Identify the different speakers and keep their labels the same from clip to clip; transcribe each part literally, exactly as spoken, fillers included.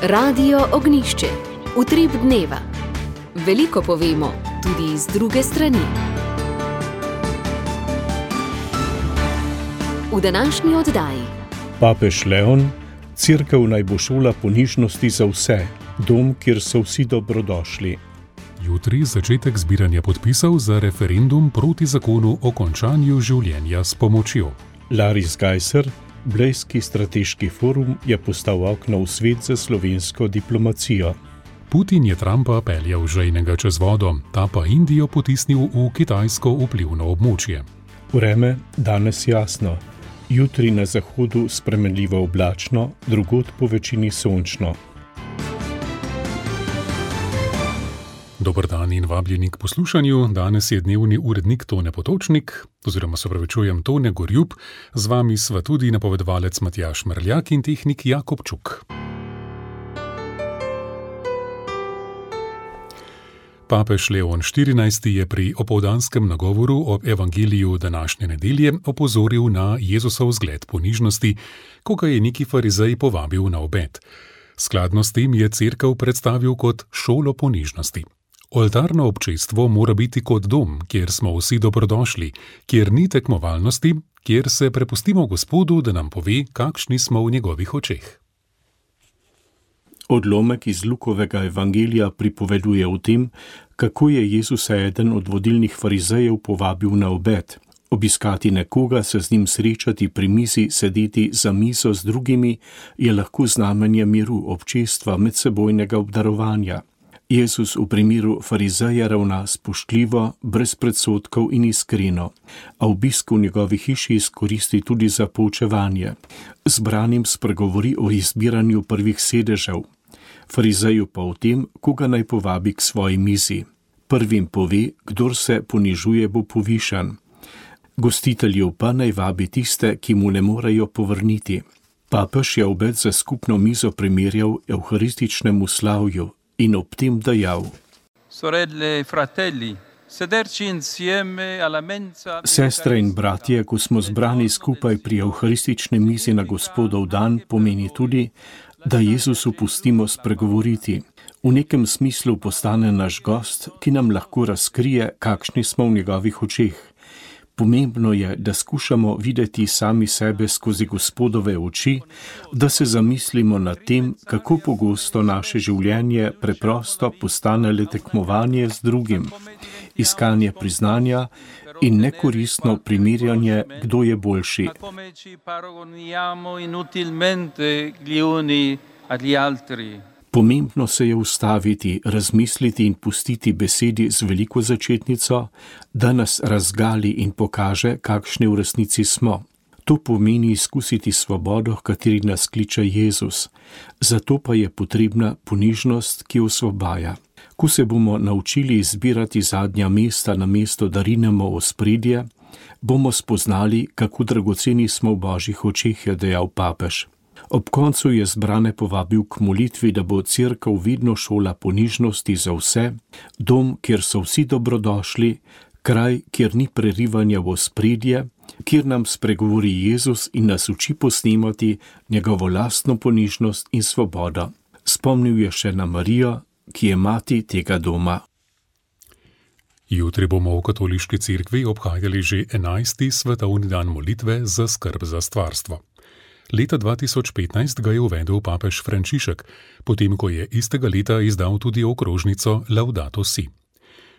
Speaker 1: Radio Ognišče, utrip dneva. Veliko povemo, tudi z druge strani. V današnji oddaji.
Speaker 2: Papež Leon, cerkev naj bo šola ponižnosti za vse, dom, kjer so vsi dobrodošli.
Speaker 3: Jutri začetek zbiranja podpisov za referendum proti zakonu o končanju življenja s pomočjo.
Speaker 2: Laris Geiser, Blejski strateški forum, je postal okno v svet za slovensko diplomacijo.
Speaker 3: Putin je Trumpa peljal žejnega čez vodo, ta pa Indijo potisnil v kitajsko vplivno območje.
Speaker 2: Vreme danes jasno, jutri na zahodu spremenljivo oblačno, drugod po večini sončno.
Speaker 3: Dober dan in vabljeni k poslušanju. Danes je dnevni urednik Tone Potočnik, oziroma se opravičujem Tone Gorjub, z vami sva tudi napovedovalec Matjaž Mrljak in tehnik Jakob Čuk. Papež Leon štirinajsti je pri opoldanskem nagovoru o evangeliju današnje nedelje opozoril na Jezusov zgled ponižnosti, ko ga je neki farizej povabil na obed. Skladno s tem je cerkev predstavil kot šolo ponižnosti. Oltarno občestvo mora biti kot dom, kjer smo vsi dobrodošli, kjer ni tekmovalnosti, kjer se prepustimo Gospodu, da nam pove, kakšni smo v njegovih očeh.
Speaker 2: Odlomek iz Lukovega evangelija pripoveduje o tem, kako je Jezus eden od vodilnih farizejev povabil na obed. Obiskati nekoga, se z njim srečati pri mizi, sedeti za mizo z drugimi, je lahko znamenje miru, občestva, medsebojnega obdarovanja. Jezus v primeru farizeja ravna spoštljivo, brez predsodkov in iskreno, a obisk v njegovi hiši izkoristi tudi za poučevanje. Zbranim spregovori o izbiranju prvih sedežev, farizeju pa o tem, koga naj povabi k svoji mizi. Prvim pove, kdor se ponižuje, bo povišan. Gostiteljev pa naj vabi tiste, ki mu ne morejo povrniti. Papež je obed za skupno mizo primerjal evharističnemu slavju in ob tem dejal:
Speaker 4: Sorelle, fratelli, sederci insieme alla mensa.
Speaker 2: Sestre in bratje, ko smo zbrani skupaj pri evharistični mizi na Gospodov dan, pomeni tudi, da Jezusu pustimo spregovoriti. V nekem smislu postane naš gost, ki nam lahko razkrije, kakšni smo v njegovih očeh. Pomembno je, da skušamo videti sami sebe skozi Gospodove oči, da se zamislimo nad tem, kako pogosto naše življenje preprosto postane le tekmovanje z drugim, iskanje priznanja in nekoristno primerjanje, kdo je boljši. Pomembno se je ustaviti, razmisliti in pustiti besedi z veliko začetnico, da nas razgali in pokaže, kakšni v resnici smo. To pomeni izkusiti svobodo, h kateri nas kliče Jezus. Zato pa je potrebna ponižnost, ki osvobaja. Ko se bomo naučili izbirati zadnja mesta na mesto, da rinemo ospredje, bomo spoznali, kako dragoceni smo v Božjih očeh, je dejal papež. Ob koncu je zbrane povabil k molitvi, da bo cerkev vedno šola ponižnosti za vse, dom, kjer so vsi dobrodošli, kraj, kjer ni prerivanja v ospredje, kjer nam spregovori Jezus in nas uči posnemati njegovo lastno ponižnost in svobodo. Spomnil je še na Marijo, ki je mati tega doma.
Speaker 3: Jutri bomo v katoliški cerkvi obhajali že enajsti svetovni dan molitve za skrb za stvarstvo. Leta dva tisoč petnajst ga je uvedel papež Frančišek, potem ko je istega leta izdal tudi okrožnico Laudato Si.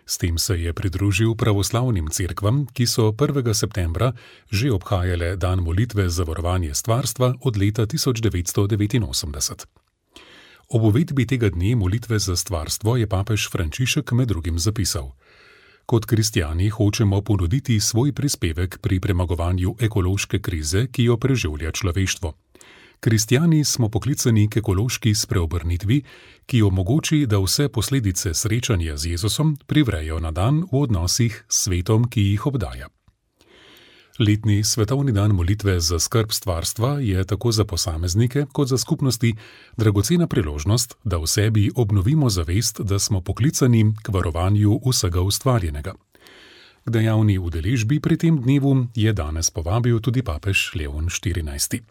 Speaker 3: S tem se je pridružil pravoslavnim cerkvam, ki so prvega septembra že obhajale dan molitve za varovanje stvarstva od leta tisoč devetsto devetinosemdeset. Ob uvedbi tega dne molitve za stvarstvo je papež Frančišek med drugim zapisal: Kot kristjani hočemo ponuditi svoj prispevek pri premagovanju ekološke krize, ki jo preživlja človeštvo. Kristjani smo poklicani k ekološki spreobrnitvi, ki omogoči, da vse posledice srečanja z Jezusom privrejo na dan v odnosih s svetom, ki jih obdaja. Letni svetovni dan molitve za skrb stvarstva je tako za posameznike kot za skupnosti dragocena priložnost, da v sebi obnovimo zavest, da smo poklicani k varovanju vsega ustvarjenega. K dejavni udeležbi pri tem dnevu je danes povabil tudi papež Leon štirinajsti.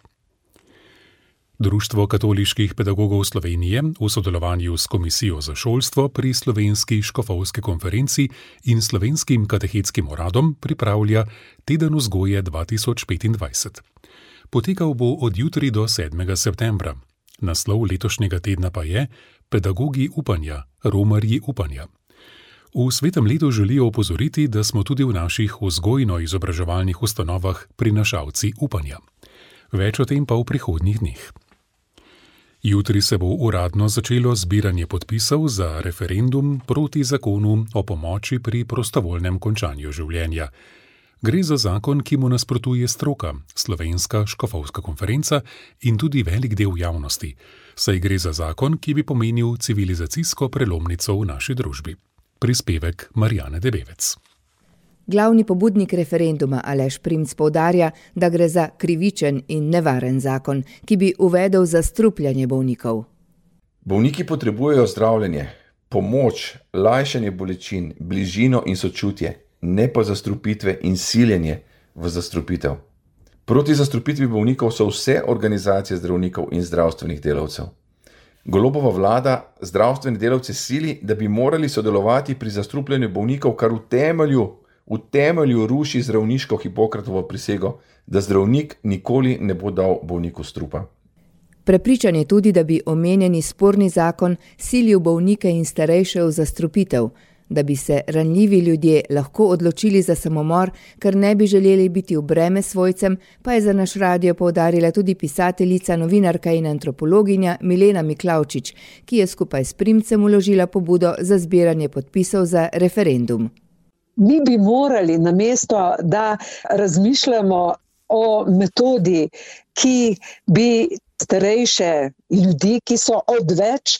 Speaker 3: Društvo katoliških pedagogov Slovenije v sodelovanju s Komisijo za šolstvo pri Slovenski škofovski konferenci in Slovenskim katehetskim uradom pripravlja Teden vzgoje dva tisoč petindvajset. Potekal bo od jutri do sedmega septembra. Naslov letošnjega tedna pa je Pedagogi upanja, romarji upanja. V svetem letu želijo opozoriti, da smo tudi v naših vzgojno-izobraževalnih ustanovah prinašalci upanja. Več o tem pa v prihodnjih dneh. Jutri se bo uradno začelo zbiranje podpisov za referendum proti zakonu o pomoči pri prostovoljnem končanju življenja. Gre za zakon, ki mu nasprotuje stroka, Slovenska škofovska konferenca in tudi velik del javnosti, saj gre za zakon, ki bi pomenil civilizacijsko prelomnico v naši družbi. Prispevek Marjane Debevec.
Speaker 5: Glavni pobudnik referenduma Aleš Primc poudarja, da gre za krivičen in nevaren zakon, ki bi uvedel zastrupljanje bolnikov.
Speaker 6: Bolniki potrebujejo zdravljenje, pomoč, lajšanje bolečin, bližino in sočutje, ne pa zastrupitve in siljenje v zastrupitev. Proti zastrupitvi bolnikov so vse organizacije zdravnikov in zdravstvenih delavcev. Golobova vlada zdravstvene delavce sili, da bi morali sodelovati pri zastrupljanju bolnikov, kar v temelju, v temelju ruši zdravniško Hipokratovo prisego, da zdravnik nikoli ne bo dal bolniku strupa.
Speaker 5: Prepričan je tudi, da bi omenjeni sporni zakon silil bolnike in starejše v zastrupitev, da bi se ranljivi ljudje lahko odločili za samomor, ker ne bi želeli biti v breme svojcem, pa je za naš radio poudarila tudi pisateljica, novinarka in antropologinja Milena Miklavčič, ki je skupaj s Primcem vložila pobudo za zbiranje podpisov za referendum.
Speaker 7: Mi bi morali namesto, da razmišljamo o metodi, ki bi starejše ljudi, ki so odveč,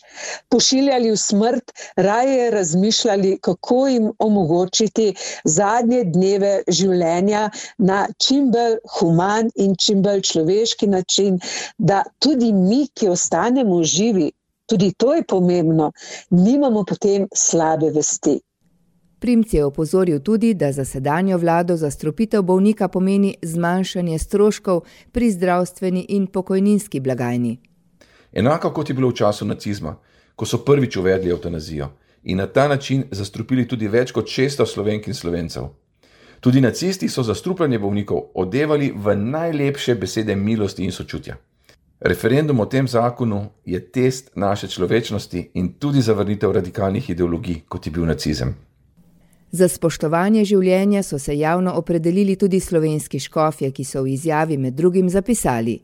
Speaker 7: pošiljali v smrt, raje razmišljali, kako jim omogočiti zadnje dneve življenja na čim bolj human in čim bolj človeški način, da tudi mi, ki ostanemo živi, tudi to je pomembno, nimamo potem slabe vesti.
Speaker 5: Primc je opozoril tudi, da za sedanjo vlado zastrupitev bolnika pomeni zmanjšanje stroškov pri zdravstveni in pokojninski blagajni.
Speaker 6: Enako kot je bilo v času nacizma, ko so prvič uvedli evtanazijo in na ta način zastrupili tudi več kot šeststo Slovenk in Slovencev. Tudi nacisti so zastrupljanje bolnikov odevali v najlepše besede milosti in sočutja. Referendum o tem zakonu je test naše človečnosti in tudi zavrnitev radikalnih ideologij, kot je bil nacizem.
Speaker 5: Za spoštovanje življenja so se javno opredelili tudi slovenski škofje, ki so v izjavi med drugim zapisali: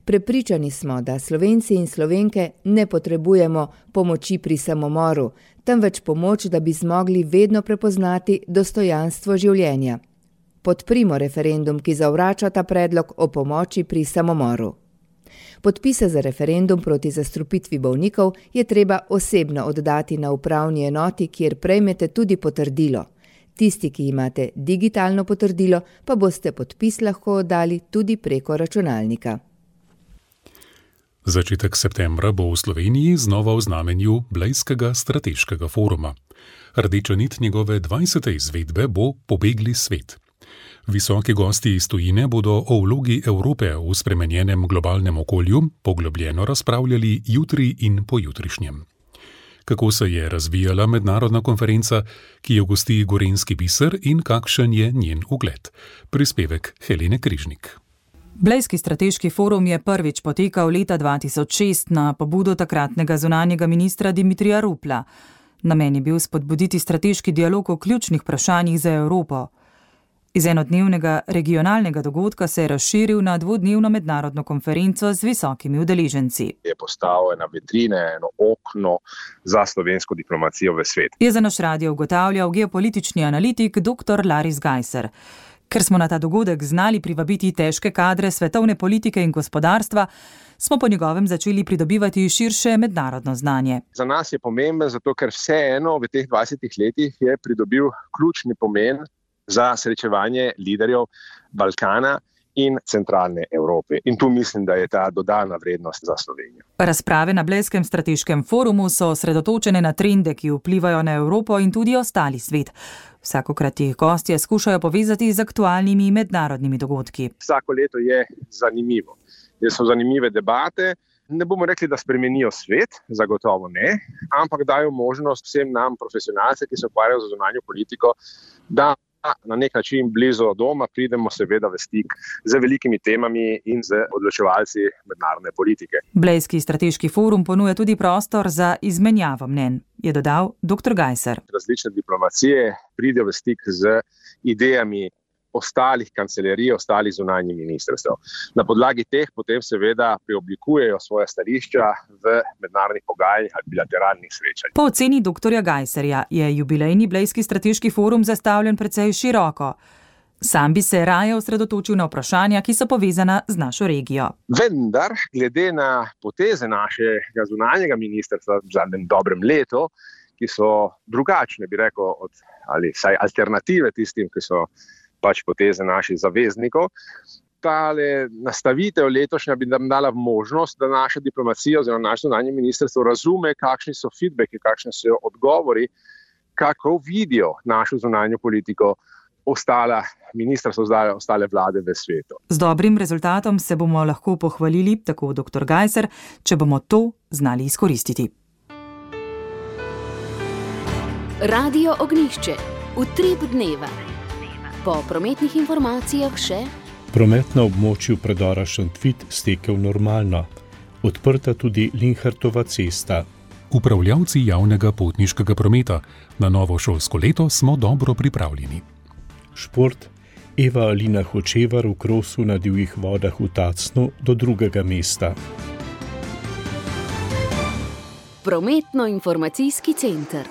Speaker 5: Prepričani smo, da Slovenci in Slovenke ne potrebujemo pomoči pri samomoru, temveč pomoč, da bi zmogli vedno prepoznati dostojanstvo življenja. Podprimo referendum, ki zavrača ta predlog o pomoči pri samomoru. Podpise za referendum proti zastrupitvi bolnikov je treba osebno oddati na upravni enoti, kjer prejmete tudi potrdilo. Tisti, ki imate digitalno potrdilo, pa boste podpis lahko oddali tudi preko računalnika.
Speaker 3: Začetek septembra bo v Sloveniji znova v znamenju Blejskega strateškega foruma. Rdeča nit njegove dvajsete izvedbe bo Pobegli svet. Visoki gosti iz tujine bodo o vlogi Evrope v spremenjenem globalnem okolju poglobljeno razpravljali jutri in pojutrišnjem. Kako se je razvijala mednarodna konferenca, ki jo gosti Gorenjski biser in kakšen je njen ugled? Prispevek Helene Križnik.
Speaker 8: Blejski strateški forum je prvič potekal leta dva tisoč šest na pobudo takratnega zunanjega ministra Dimitrija Rupla. Namen je bil spodbuditi strateški dialog o ključnih vprašanjih za Evropo. Iz enodnevnega regionalnega dogodka se je razširil na dvodnevno mednarodno konferenco z visokimi udeleženci.
Speaker 9: Je postal ena vitrina, eno okno za slovensko diplomacijo v svet.
Speaker 8: Je za naš radio ugotavljal geopolitični analitik dr. Laris Gajser. Ker smo na ta dogodek znali privabiti težke kadre svetovne politike in gospodarstva, smo po njegovem začeli pridobivati širše mednarodno znanje.
Speaker 9: Za nas je pomemben, zato ker vseeno v teh dvajsetih letih je pridobil ključni pomen za srečevanje liderjev Balkana in centralne Evrope. In tu mislim, da je ta dodana vrednost za Slovenijo.
Speaker 8: Razprave na Blejskem strateškem forumu so osredotočene na trende, ki vplivajo na Evropo in tudi ostali svet. Vsakokrat jih gostje skušajo povezati z aktualnimi mednarodnimi dogodki.
Speaker 9: Vsako leto je zanimivo. So zanimive debate, ne bomo rekli, da spremenijo svet, zagotovo ne, ampak dajo možnost vsem nam, profesionalcem, ki se ukvarjajo z zunanjo politiko, da na nek način blizu doma pridemo seveda v stik z velikimi temami in z odločevalci mednarodne politike.
Speaker 8: Blejski strateški forum ponuja tudi prostor za izmenjavo mnenj, je dodal doktor Gajser.
Speaker 9: Različne diplomacije pridejo v stik z idejami ostalih kancelarij, ostalih zunanjih ministrstev. Na podlagi teh potem seveda preoblikujejo svoje stališča v mednarodnih pogajanjih ali bilateralnih srečanjih.
Speaker 8: Po oceni doktorja Gajserja je jubilejni Blejski strateški forum zastavljen precej široko. Sam bi se raje osredotočil na vprašanja, ki so povezana z našo regijo.
Speaker 9: Vendar, glede na poteze našega zunanjega ministrstva v zadnjem dobrem letu, ki so drugačne, bi rekel, od, ali saj alternative tistim, ki so pač poteze naših zaveznikov. Tale nastavitev letošnja bi nam dala možnost, da naša diplomacija oziroma naše zunanje ministrstvo razume, kakšni so feedbacki, kakšni so odgovori, kako vidijo našo zunanjo politiko ostala ministrstva, ostale, ostale vlade v svetu.
Speaker 8: Z dobrim rezultatom se bomo lahko pohvalili, tako doktor Gajser, če bomo to znali izkoristiti.
Speaker 1: Radio Ognjišče. Utrip dneva. Po prometnih informacijah še
Speaker 2: promet na območju predora Šentvid stekel normalno. Odprta tudi Linhartova cesta.
Speaker 3: Upravljavci javnega potniškega prometa. Na novo šolsko leto smo dobro pripravljeni.
Speaker 2: Šport. Eva Alina Hočevar v krosu na divjih vodah v Tacnu do drugega mesta.
Speaker 1: Prometno-informacijski center.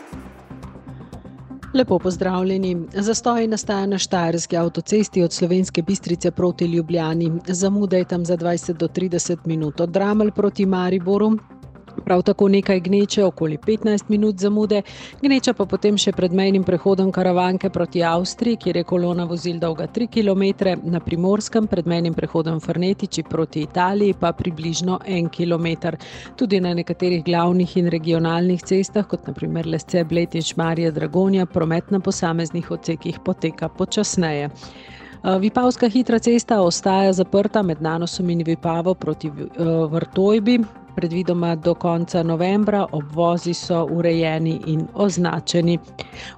Speaker 10: Lepo pozdravljeni. Zastoj nastaja na Štajerski avtocesti od Slovenske Bistrice proti Ljubljani. Zamuda je tam za dvajset do trideset minut. Od Dramelj proti Mariboru. Prav tako nekaj gneče, okoli petnajst minut zamude. Gneča pa potem še pred mejnim prehodom Karavanke proti Avstriji, kjer je kolona vozil dolga tri kilometre, na Primorskem pred mejnim prehodom Fernetiči proti Italiji pa približno en kilometer. Tudi na nekaterih glavnih in regionalnih cestah, kot na primer Lesce, Bled in Šmarje Dragonja, promet na posameznih odsekih poteka počasneje. Vipavska hitra cesta ostaja zaprta med Nanosom in Vipavo proti Vrtojbi. Predvidoma do konca novembra, obvozi so urejeni in označeni.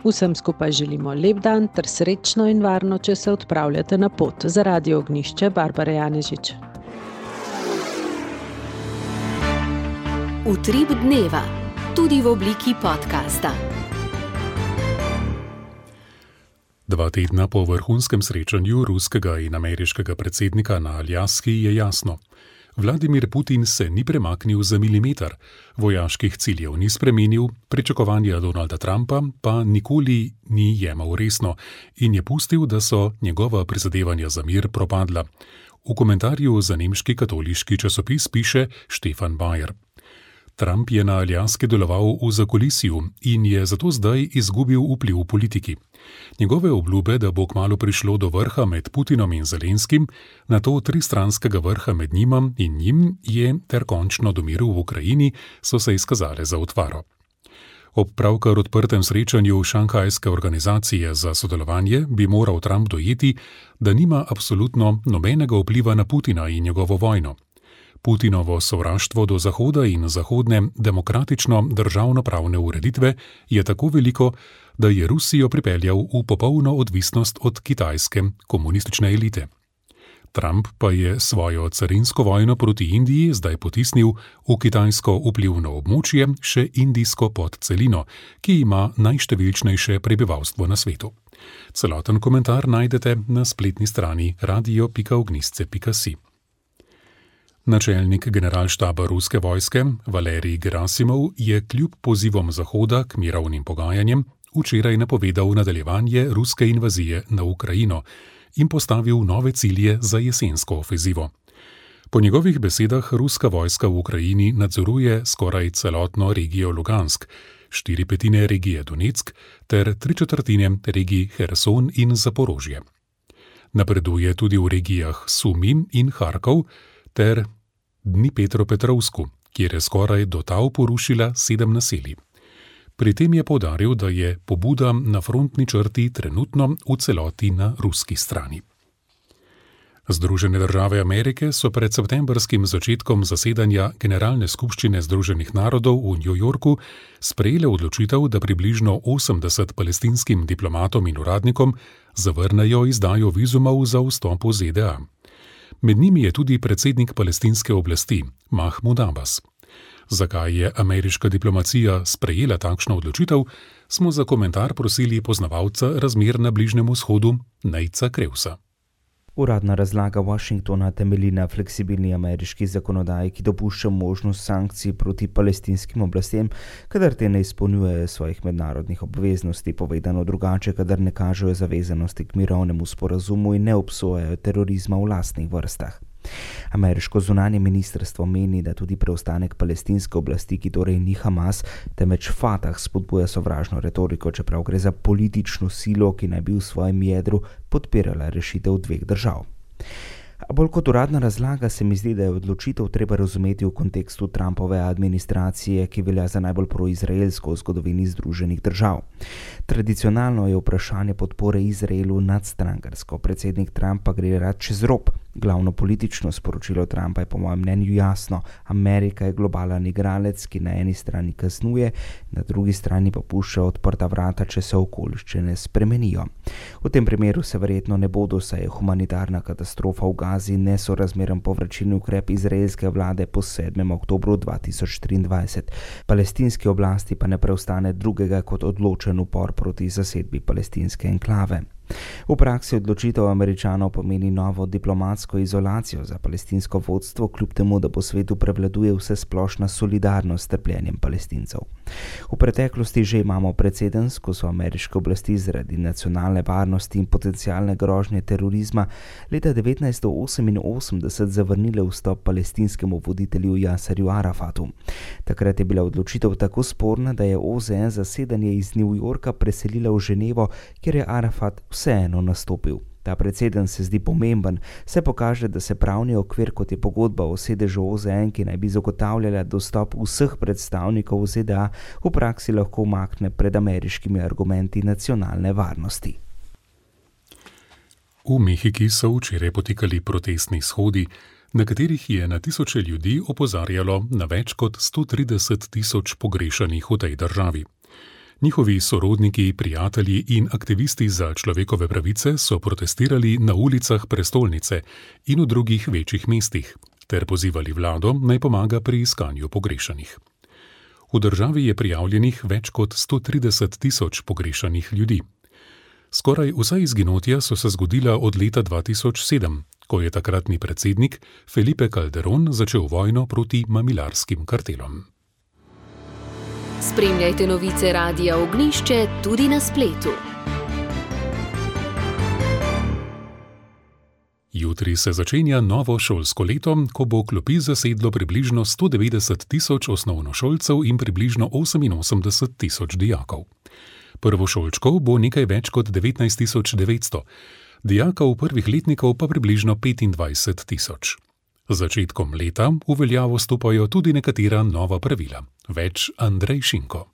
Speaker 10: Vsem skupaj želimo lep dan ter srečno in varno, če se odpravljate na pot. Za Radio Ognjišče, Barbara Janežič.
Speaker 1: Utrip dneva, tudi v obliki podcasta.
Speaker 3: Dva tedna po vrhunskem srečanju ruskega in ameriškega predsednika na Aljaski je jasno. Vladimir Putin se ni premaknil za milimeter, vojaških ciljev ni spremenil, pričakovanja Donalda Trumpa pa nikoli ni jemal resno in je pustil, da so njegova prizadevanja za mir propadla. V komentarju za nemški katoliški časopis piše Štefan Bayer. Trump je na Aljaski deloval v zakulisju in je zato zdaj izgubil vpliv v politiki. Njegove obljube, da bo kmalu prišlo do vrha med Putinom in Zelenskim, nato tristranskega vrha med njima in njim je ter končno do miru v Ukrajini, so se izkazale za utvaro. Ob pravkar odprtem srečanju Šanghajske organizacije za sodelovanje bi moral Trump dojeti, da nima absolutno nobenega vpliva na Putina in njegovo vojno. Putinovo sovraštvo do Zahoda in zahodne demokratično državnopravne ureditve je tako veliko, da je Rusijo pripeljal v popolno odvisnost od kitajske komunistične elite. Trump pa je svojo carinsko vojno proti Indiji zdaj potisnil v kitajsko vplivno območje, še indijsko podcelino, ki ima najštevilčnejše prebivalstvo na svetu. Celoten komentar najdete na spletni strani radio pika ognjišče pika si. Načelnik generalštaba ruske vojske Valerij Gerasimov je kljub pozivom Zahoda k mirovnim pogajanjem včeraj napovedal nadaljevanje ruske invazije na Ukrajino in postavil nove cilje za jesensko ofenzivo. Po njegovih besedah ruska vojska v Ukrajini nadzoruje skoraj celotno regijo Lugansk, štiri petine regije Donetsk ter tri četrtine regij Herson in Zaporožje. Napreduje tudi v regijah Sumi in Harkov ter Dnipropetrovsku, kjer je skoraj do tal porušila sedem naselij. Pri tem je poudaril, da je pobuda na frontni črti trenutno v celoti na ruski strani. Združene države Amerike so pred septembrskim začetkom zasedanja Generalne skupščine Združenih narodov v New Yorku sprejele odločitev, da približno osemdeset palestinskim diplomatom in uradnikom zavrnejo izdajo vizumov za vstop v Z D A. Med njimi je tudi predsednik palestinske oblasti, Mahmud Abbas. Zakaj je ameriška diplomacija sprejela takšno odločitev, smo za komentar prosili poznavalca razmer na Bližnjem vzhodu, Nejca Krevsa.
Speaker 11: Uradna razlaga Washingtona temelji na fleksibilni ameriški zakonodaji, ki dopušča možnost sankcij proti palestinskim oblastem, kadar te ne izpolnjujejo svojih mednarodnih obveznosti, povedano drugače, kadar ne kažejo zavezanosti k mirovnemu sporazumu in ne obsojajo terorizma v lastnih vrstah. Ameriško zunanje ministrstvo meni, da tudi preostanek palestinske oblasti, ki torej ni Hamas, temveč Fatah, spodbuja sovražno retoriko, čeprav gre za politično silo, ki naj bi v svojem jedru podpirala rešitev dveh držav. A bolj kot uradna razlaga se mi zdi, da je odločitev treba razumeti v kontekstu Trumpove administracije, ki velja za najbolj proizraelsko v zgodovini Združenih držav. Tradicionalno je vprašanje podpore Izraelu nadstrankarsko, predsednik Trump pa gre rad čez rob. Glavno politično sporočilo Trumpa je po mojem mnenju jasno. Amerika je globalen igralec, ki na eni strani kaznuje, na drugi strani pa pušča odprta vrata, če se okoliščine spremenijo. V tem primeru se verjetno ne bodo, saj je humanitarna katastrofa v Gazi nesorazmeren povračilni ukrep izraelske vlade po sedmem oktobru dva tisoč triindvajset. Palestinski oblasti pa ne preostane drugega kot odločen upor proti zasedbi palestinske enklave. V praksi odločitev Američanov pomeni novo diplomatsko izolacijo za palestinsko vodstvo, kljub temu, da po svetu prevladuje vsesplošna solidarnost s trpljenjem Palestincev. V preteklosti že imamo precedens, ko so ameriške oblasti zaradi nacionalne varnosti in potencialne grožnje terorizma leta devetnajststo oseminosemdeset zavrnile vstop palestinskemu voditelju Jaserju Arafatu. Takrat je bila odločitev tako sporna, da je O Z N zasedanje iz New Yorka preselila v Ženevo, kjer je Arafat vseeno nastopil. Ta precedens se zdi pomemben, se pokaže, da se pravni okvir, kot je pogodba o sedežu O Z N, ki naj bi zagotavljala dostop vseh predstavnikov Z D A, v praksi lahko umakne pred ameriškimi argumenti nacionalne varnosti.
Speaker 3: V Mehiki so včeraj potekali protestni shodi, na katerih je na tisoče ljudi opozarjalo na več kot sto trideset tisoč pogrešanih v tej državi. Njihovi sorodniki, prijatelji in aktivisti za človekove pravice so protestirali na ulicah prestolnice in v drugih večjih mestih, ter pozivali vlado, naj pomaga pri iskanju pogrešanih. V državi je prijavljenih več kot sto trideset tisoč pogrešanih ljudi. Skoraj vsa izginotja so se zgodila od leta dva tisoč sedem, ko je takratni predsednik Felipe Calderón začel vojno proti mamilarskim kartelom.
Speaker 1: Spremljajte novice Radia Ognjišče tudi na spletu.
Speaker 3: Jutri se začenja novo šolsko leto, ko bo klopi zasedlo približno sto devetdeset tisoč osnovnošolcev in približno oseminosemdeset tisoč dijakov. Prvošolčkov bo nekaj več kot devetnajst tisoč devetsto, dijakov prvih letnikov pa približno petindvajset tisoč. Z začetkom leta v veljavo stopajo tudi nekatera nova pravila. Več Andrej Šinko.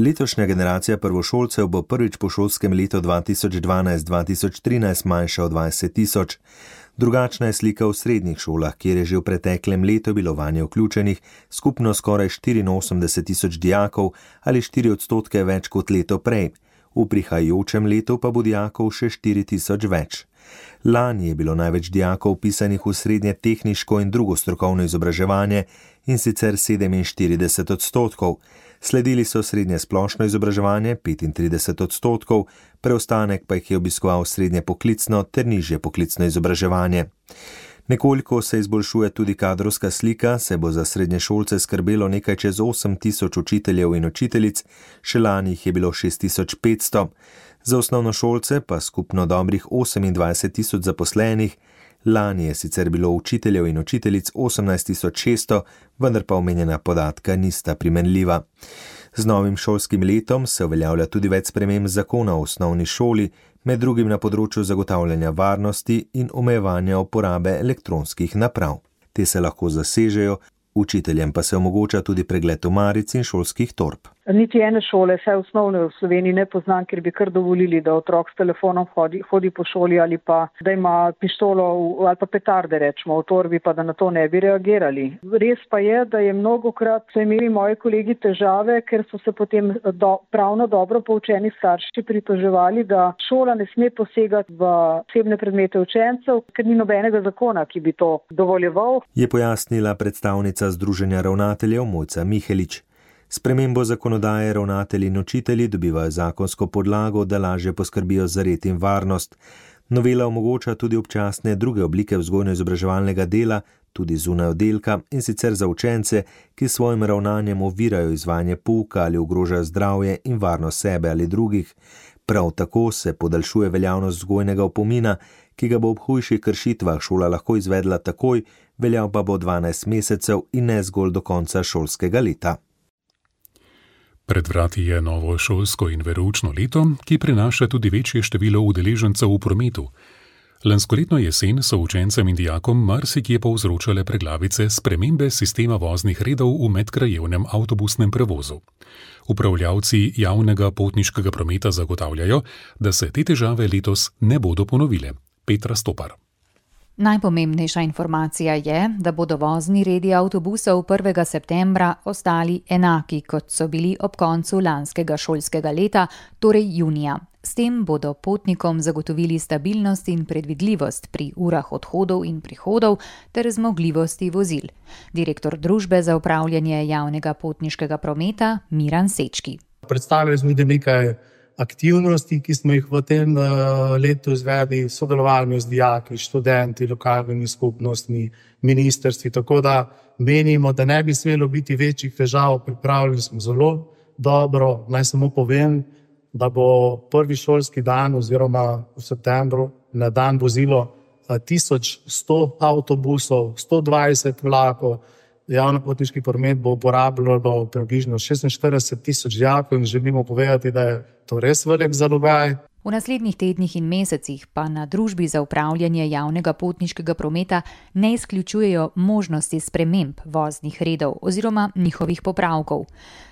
Speaker 12: Letošnja generacija prvošolcev bo prvič po šolskem letu dva tisoč dvanajst dva tisoč trinajst manjša od dvajset tisoč. Drugačna je slika v srednjih šolah, kjer je že v preteklem letu bilo vanje vključenih skupno skoraj štiriinosemdeset tisoč dijakov ali štiri odstotke več kot leto prej. V prihajajočem letu pa bo dijakov še štiri tisoč več. Lani je bilo največ dijakov vpisanih v srednje tehniško in drugo strokovno izobraževanje, in sicer sedeminštirideset odstotkov. Sledili so srednje splošno izobraževanje petintrideset odstotkov, preostanek pa jih je obiskoval srednje poklicno ter nižje poklicno izobraževanje. Nekoliko se izboljšuje tudi kadrovska slika, se bo za srednješolce skrbelo nekaj čez osem tisoč učiteljev in učiteljic, še lani jih je bilo šest tisoč petsto. Za osnovnošolce pa skupno dobrih osemindvajset tisoč zaposlenih. Lani je sicer bilo učiteljev in učiteljic osemnajst tisoč šeststo, vendar pa omenjena podatka nista primerljiva. Z novim šolskim letom se uveljavlja tudi več sprememb zakona o osnovni šoli, med drugim na področju zagotavljanja varnosti in omejevanja uporabe elektronskih naprav. Te se lahko zasežejo, učiteljem pa se omogoča tudi pregled omaric in šolskih torb.
Speaker 13: Niti ene šole, vse osnovne v Sloveniji ne poznam, ker bi kar dovolili, da otrok s telefonom hodi, hodi po šoli ali pa da ima pištolo ali pa petarde, rečemo, v torbi, pa da na to ne bi reagirali. Res pa je, da je mnogokrat so imeli moji kolegi težave, ker so se potem do, pravno dobro poučeni starši pritoževali, da šola ne sme posegati v osebne predmete učencev, ker ni nobenega zakona, ki bi to dovoljeval.
Speaker 12: Je pojasnila predstavnica Združenja ravnateljev Mojca Mihelič. Spremembo zakonodaje ravnatelji in učitelji dobivajo zakonsko podlago, da lažje poskrbijo za red in varnost. Novela omogoča tudi občasne druge oblike vzgojno-izobraževalnega dela, tudi zunaj oddelka, in sicer za učence, ki s svojim ravnanjem ovirajo izvajanje pouka ali ogrožajo zdravje in varnost sebe ali drugih. Prav tako se podaljšuje veljavnost vzgojnega opomina, ki ga bo ob hujših kršitvah šola lahko izvedla takoj, veljal pa bo dvanajst mesecev in ne zgolj do konca šolskega leta.
Speaker 3: Pred vrati je novo šolsko in veroučno leto, ki prinaša tudi večje število udeležencev v prometu. Lanskoletno jesen so učencem in dijakom marsikje povzročale preglavice spremembe sistema voznih redov v medkrajevnem avtobusnem prevozu. Upravljavci javnega potniškega prometa zagotavljajo, da se te težave letos ne bodo ponovile. Petra Stopar.
Speaker 14: Najpomembnejša informacija je, da bodo vozni redi avtobusov prvega septembra ostali enaki, kot so bili ob koncu lanskega šolskega leta, torej junija. S tem bodo potnikom zagotovili stabilnost in predvidljivost pri urah odhodov in prihodov ter zmogljivosti vozil. Direktor Družbe za upravljanje javnega potniškega prometa Miran Sečki.
Speaker 15: Predstavili smo nekaj aktivnosti, ki smo jih v tem letu izvedli, sodelovali z dijaki, študenti, lokalnimi skupnostmi, ministrstvi, tako da menimo, da ne bi smelo biti večjih težav, pripravljeni smo zelo dobro. Naj samo povem, da bo prvi šolski dan oziroma v septembru na dan vozilo tisoč sto avtobusov, sto dvajset vlakov. Javni potniški promet bo uporabljalo približno šestinštirideset tisoč dijakov in želimo povedati, da je to res velik zalogaj.
Speaker 14: V naslednjih tednih in mesecih pa na Družbi za upravljanje javnega potniškega prometa ne izključujejo možnosti sprememb voznih redov oziroma njihovih popravkov.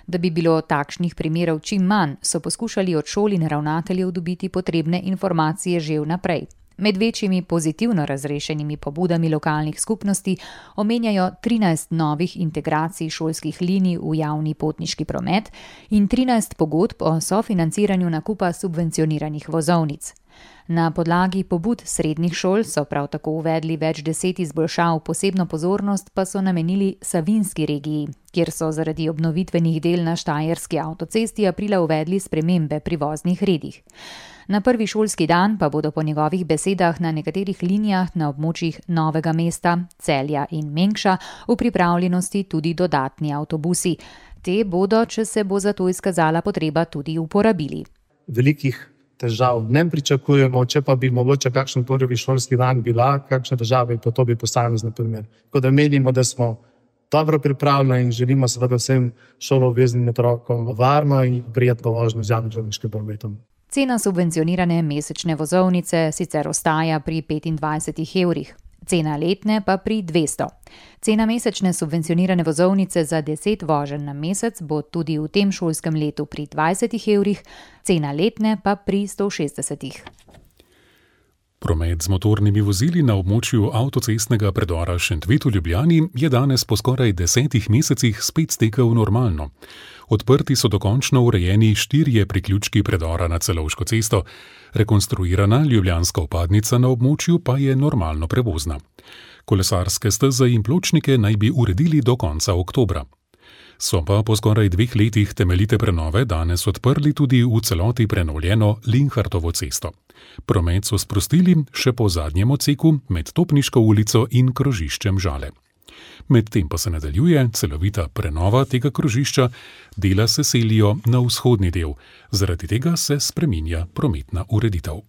Speaker 14: Da bi bilo takšnih primerov čim manj, so poskušali od šol in ravnateljev dobiti potrebne informacije že vnaprej. Med večjimi pozitivno razrešenimi pobudami lokalnih skupnosti omenjajo trinajst novih integracij šolskih linij v javni potniški promet in trinajst pogodb o sofinanciranju nakupa subvencioniranih vozovnic. Na podlagi pobud srednjih šol so prav tako uvedli več deset izboljšav, posebno pozornost pa so namenili Savinjski regiji, kjer so zaradi obnovitvenih del na Štajerski avtocesti aprila uvedli spremembe pri voznih redih. Na prvi šolski dan pa bodo po njegovih besedah na nekaterih linijah na območjih Novega mesta, Celja in Mengša v pripravljenosti tudi dodatni avtobusi. Te bodo, če se bo za to izkazala potreba, tudi uporabili.
Speaker 15: Velikih težav ne pričakujemo, če pa bi mogoče kakšen prvi šolski dan bila, kakšne težave, pa to bi posamezno primer. Tako da menimo, da smo dobro pripravljeni in želimo seveda vsem šoloobveznim otrokom varno in prijetno vožnjo z javnim železniškim prometom.
Speaker 14: Cena subvencionirane mesečne vozovnice sicer ostaja pri petindvajsetih evrih, cena letne pa pri dvesto. Cena mesečne subvencionirane vozovnice za deset voženj na mesec bo tudi v tem šolskem letu pri dvajsetih evrih, cena letne pa pri sto šestdesetih.
Speaker 3: Promet z motornimi vozili na območju avtocestnega predora Šentvid v Ljubljani je danes po skoraj desetih mesecih spet stekel normalno. Odprti so dokončno urejeni štirje priključki predora na Celovško cesto, rekonstruirana ljubljanska vpadnica na območju pa je normalno prevozna. Kolesarske steze in pločnike naj bi uredili do konca oktobra. So pa po skoraj dveh letih temeljite prenove danes odprli tudi v celoti prenovljeno Linhartovo cesto. Promet so sprostili še po zadnjem odseku med Topniško ulico in krožiščem Žale. Medtem pa se nadaljuje celovita prenova tega krožišča, dela se selijo na vzhodni del, zaradi tega se spreminja prometna ureditev.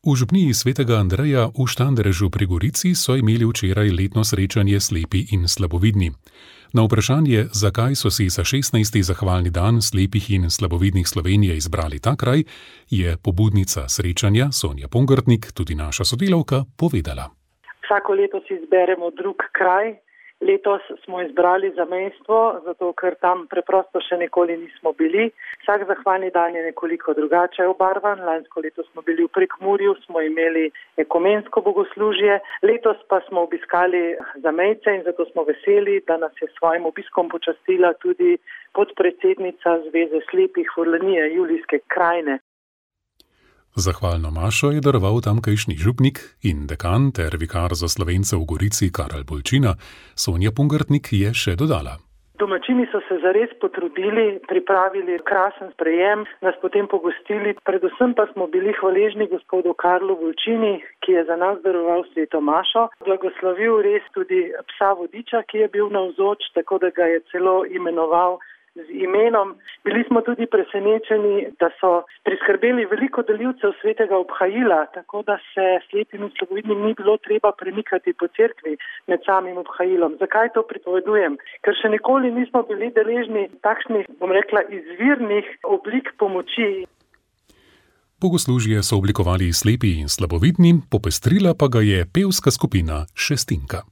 Speaker 3: V župniji svetega Andreja v Štanderežu pri Gorici so imeli včeraj letno srečanje slepi in slabovidni. Na vprašanje, zakaj so si za šestnajsti zahvalni dan slepih in slabovidnih Slovenije izbrali ta kraj, je pobudnica srečanja Sonja Pongrtnik, tudi naša sodelavka, povedala.
Speaker 16: Vsako leto si izberemo drug kraj, Letos smo izbrali zamejstvo, zato ker tam preprosto še nikoli nismo bili. Vsak zahvalni dan je nekoliko drugače obarvan. Lansko leto smo bili v Prekmurju, smo imeli ekumensko bogoslužje. Letos pa smo obiskali zamejce in zato smo veseli, da nas je s svojim obiskom počastila tudi podpredsednica Zveze slepih Furlanije Julijske krajine.
Speaker 3: Zahvalno mašo je daroval tamkajšnji župnik in dekan ter vikar za Slovence v Gorici Karel Bolčina. Sonja Pungartnik je še dodala.
Speaker 16: Domačini so se zares potrudili, pripravili krasen sprejem, nas potem pogostili. Predvsem pa smo bili hvaležni gospodu Karlu Bolčini, ki je za nas daroval sveto mašo. Blagoslovil res tudi psa vodiča, ki je bil navzoč, tako da ga je celo imenoval z imenom. Bili smo tudi presenečeni, da so priskrbeli veliko delivcev svetega obhajila, tako da se slepim in slabovidnim ni bilo treba premikati po cerkvi med samim obhajilom. Zakaj to pripovedujem? Ker še nikoli nismo bili deležni takšnih, bom rekla, izvirnih oblik pomoči.
Speaker 3: Bogoslužje so oblikovali slepi in slabovidni, popestrila pa ga je pevska skupina Šestinka.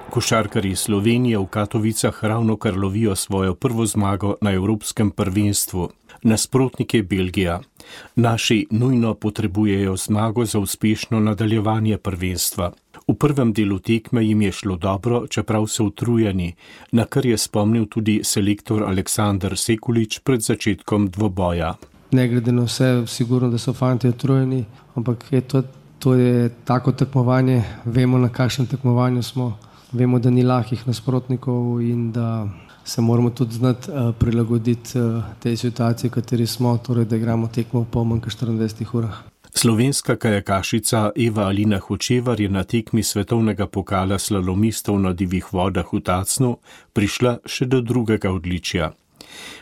Speaker 2: Košarkarji Slovenije v Katovicah ravnokar lovijo svojo prvo zmago na evropskem prvenstvu. Nasprotnik je Belgija. Naši nujno potrebujejo zmago za uspešno nadaljevanje prvenstva. V prvem delu tekme jim je šlo dobro, čeprav so utrujeni, na kar je spomnil tudi selektor Aleksandar Sekulič pred začetkom dvoboja.
Speaker 17: Ne glede na vse, sigurno, da so fanti utrujeni, ampak je to, to je tako tekmovanje, vemo, na kakšnem tekmovanju smo. Vemo, da ni lahkih nasprotnikov in da se moramo tudi znati uh, prilagoditi uh, tej situaciji, v kateri smo, torej da igramo tekmo v pol manj kot štiriindvajsetih urah.
Speaker 2: Slovenska kajakašica Eva Alina Hočevar je na tekmi svetovnega pokala slalomistov na divjih vodah v Tacnu prišla še do drugega odličja.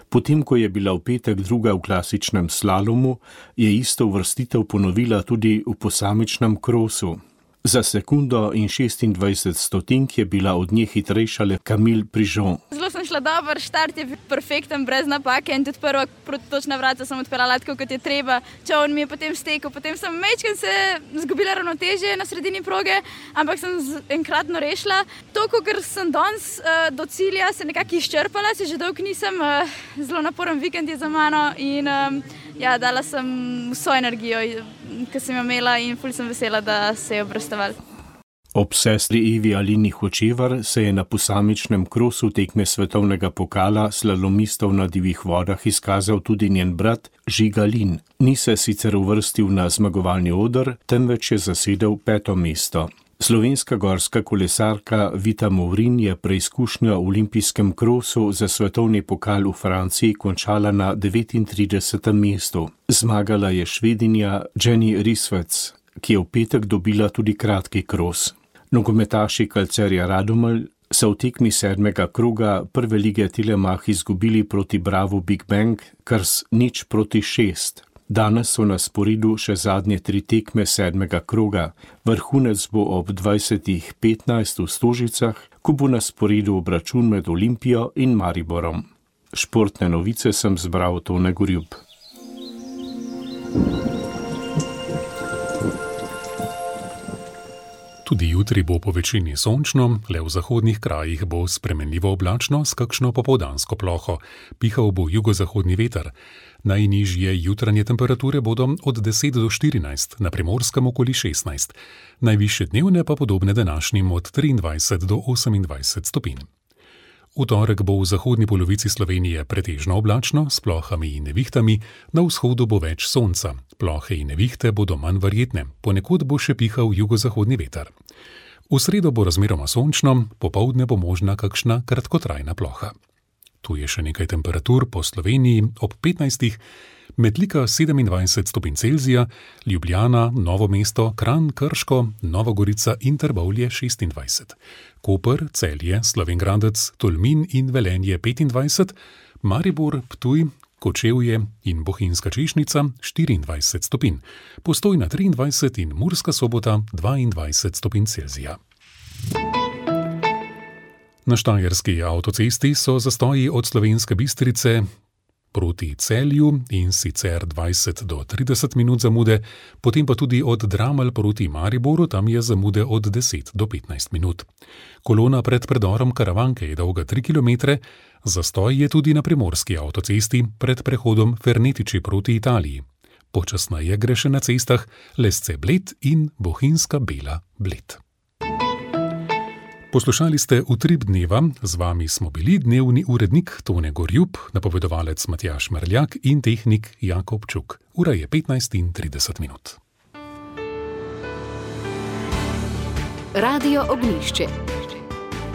Speaker 2: Potem, ko je bila v petek druga v klasičnem slalomu, je isto uvrstitev ponovila tudi v posamičnem krosu. Za sekundo in šestindvajset stotink je bila od nje hitrejša le Camille Prižon.
Speaker 18: Zelo sem šla dober, štart je perfekten, brez napake in tudi prva protočna vrata sem odpeljala tako, kot je treba. Čovn mi je potem stekel, potem sem mečken se zgubila ravnotežje na sredini proge, ampak sem enkratno rešila. Toliko, ker sem danes uh, do cilja se nekako izčrpala, se že dolgo nisem, uh, zelo naporen vikend je za mano in um, ja, dala sem vso energijo, ki sem jo imela in ful sem vesela, da se je obrestovala.
Speaker 2: Ob sestri Evi Alini Hočevar se je na posamičnem krosu tekme svetovnega pokala slalomistov na divjih vodah izkazal tudi njen brat Žiga Lin. Ni se sicer uvrstil na zmagovalni oder, temveč je zasedel peto mesto. Slovenska gorska kolesarka Vita Movrin je preizkušnjo v olimpijskem krosu za svetovni pokal v Franciji končala na devetintridesetem mestu. Zmagala je Švedinja Jenny Risvec, ki je v petek dobila tudi kratki kros. Nogometaši Calcerja Radomelj so v tekmi sedmega kroga prve lige Telemach izgubili proti Bravo Big Bang kar z nič proti šest. Danes so na sporedu še zadnje tri tekme sedmega kroga. Vrhunec bo ob dvajsetih petnajst v Stožicah, ko bo na sporedu obračun med Olimpijo in Mariborom. Športne novice sem zbral Tone Gorjub.
Speaker 3: Tudi jutri bo po večini sončno, le v zahodnih krajih bo spremenljivo oblačno s kakšno popoldansko ploho. Pihal bo jugozahodni veter. Najnižje jutranje temperature bodo od deset do štirinajst, na Primorskem okoli šestnajst. Najvišje dnevne pa podobne današnjim od triindvajset do osemindvajset stopinj. V torek bo v zahodni polovici Slovenije pretežno oblačno s plohami in nevihtami, na vzhodu bo več sonca. Plohe in nevihte bodo manj verjetne, ponekod bo še pihal jugozahodni veter. V sredo bo razmeroma sončno, popoldne bo možna kakšna kratkotrajna ploha. Tu je še nekaj temperatur po Sloveniji ob petnajstih, Metlika sedemindvajset stopinj Celzija, Ljubljana, Novo mesto, Kranj, Krško, Nova Gorica in Trbovlje šestindvajset. Koper, Celje, Slovenj Gradec, Tolmin in Velenje petindvajset, Maribor, Ptuj, Kočevje in Bohinjska Češnica štiriindvajset stopinj, Postojna triindvajset in Murska Sobota dvaindvajset stopinj Celzija. Na štajerski avtocesti so zastoji od Slovenske Bistrice proti Celju in sicer dvajset do trideset minut zamude, potem pa tudi od Dramelj proti Mariboru, tam je zamude od deset do petnajst minut. Kolona pred predorom Karavanke je dolga tri kilometre, zastoj je tudi na primorski avtocesti pred prehodom Fernetiči proti Italiji. Počasneje gre še na cestah Lesce-Bled in Bohinjska Bela-Bled. Poslušali ste Utrip dneva, z vami smo bili dnevni urednik Tone Gorjup, napovedovalec Matjaž Merljak in tehnik Jakob Čuk. Ura je petnajst in trideset minut.
Speaker 1: Radio Ognjišče.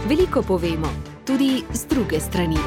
Speaker 1: Veliko povemo, tudi z druge strani.